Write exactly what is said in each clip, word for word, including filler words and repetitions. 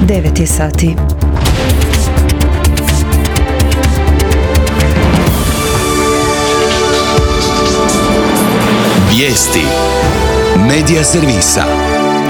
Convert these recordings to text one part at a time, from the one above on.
devet je sati. Vijesti Medija servisa.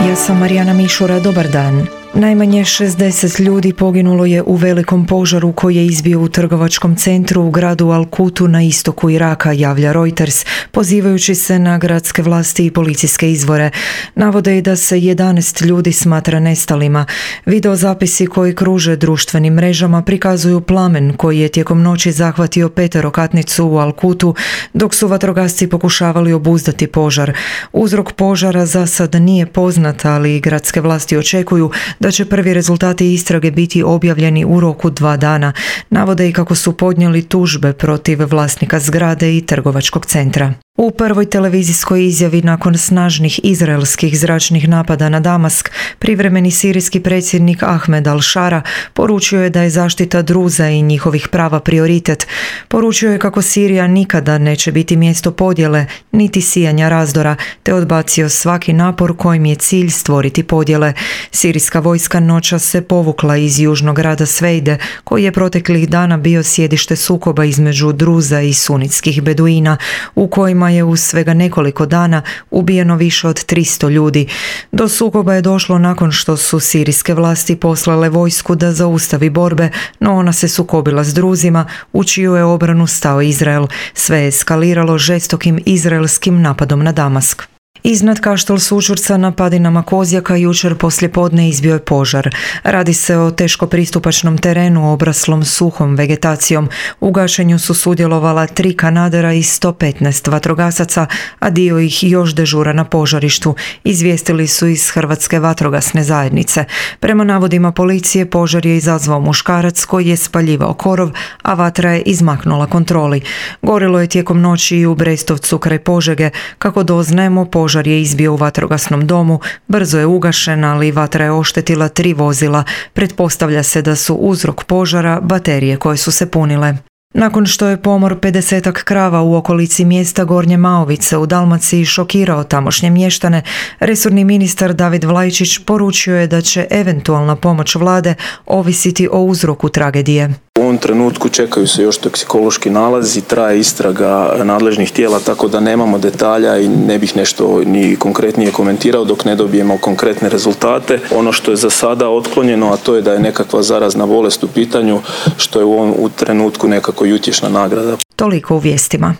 Ja sam Marijana Mišura, dobar dan. Najmanje šezdeset ljudi poginulo je u velikom požaru koji je izbio u trgovačkom centru u gradu Al-Kutu na istoku Iraka, javlja Reuters, pozivajući se na gradske vlasti i policijske izvore. Navode i da se jedanaest ljudi smatra nestalima. Videozapisi koji kruže društvenim mrežama prikazuju plamen koji je tijekom noći zahvatio peterokatnicu u Al-Kutu, dok su vatrogasci pokušavali obuzdati požar. Uzrok požara za sad nije poznat, ali gradske vlasti očekuju da će prvi rezultati istrage biti objavljeni u roku dva dana. Navode i kako su podnijeli tužbe protiv vlasnika zgrade i trgovačkog centra. U prvoj televizijskoj izjavi nakon snažnih izraelskih zračnih napada na Damask, privremeni sirijski predsjednik Ahmed al-Šara poručio je da je zaštita Druza i njihovih prava prioritet. Poručio je kako Sirija nikada neće biti mjesto podjele, niti sijanja razdora, te odbacio svaki napor kojim je cilj stvoriti podjele. Sirijska vojska noćas se povukla iz južnog grada Svejde, koji je proteklih dana bio sjedište sukoba između Druza i sunitskih beduina, u kojima je u svega nekoliko dana ubijeno više od tristo ljudi. Do sukoba je došlo nakon što su sirijske vlasti poslale vojsku da zaustavi borbe, no ona se sukobila s Druzima, u čiju je obranu stao Izrael. Sve je eskaliralo žestokim izraelskim napadom na Damask. Iznad Kaštel Sućurca na padinama Kozjaka jučer poslijepodne izbio je požar. Radi se o teško pristupačnom terenu obraslom suhom vegetacijom. U gašenju su sudjelovala tri kanadera i sto petnaest vatrogasaca, a dio ih još dežura na požarištu, izvijestili su iz Hrvatske vatrogasne zajednice. Prema navodima policije, požar je izazvao muškarac koji je spaljivao korov, a vatra je izmaknula kontroli. Gorilo je tijekom noći i u Brestovcu kraj Požege. Kako doznajemo, požar Požar je izbio u vatrogasnom domu, brzo je ugašen, ali vatra je oštetila tri vozila. Pretpostavlja se da su uzrok požara baterije koje su se punile. Nakon što je pomor pedesetak krava u okolici mjesta Gornje Maovice u Dalmaciji šokirao tamošnje mještane, resorni ministar David Vlajčić poručio je da će eventualna pomoć vlade ovisiti o uzroku tragedije. U ovom trenutku čekaju se još toksikološki nalazi, traje istraga nadležnih tijela, tako da nemamo detalja i ne bih nešto ni konkretnije komentirao dok ne dobijemo konkretne rezultate. Ono što je za sada otklonjeno, a to je da je nekakva zarazna bolest u pitanju, što je u ovom u trenutku nekako utješna nagrada. Toliko u vijestima.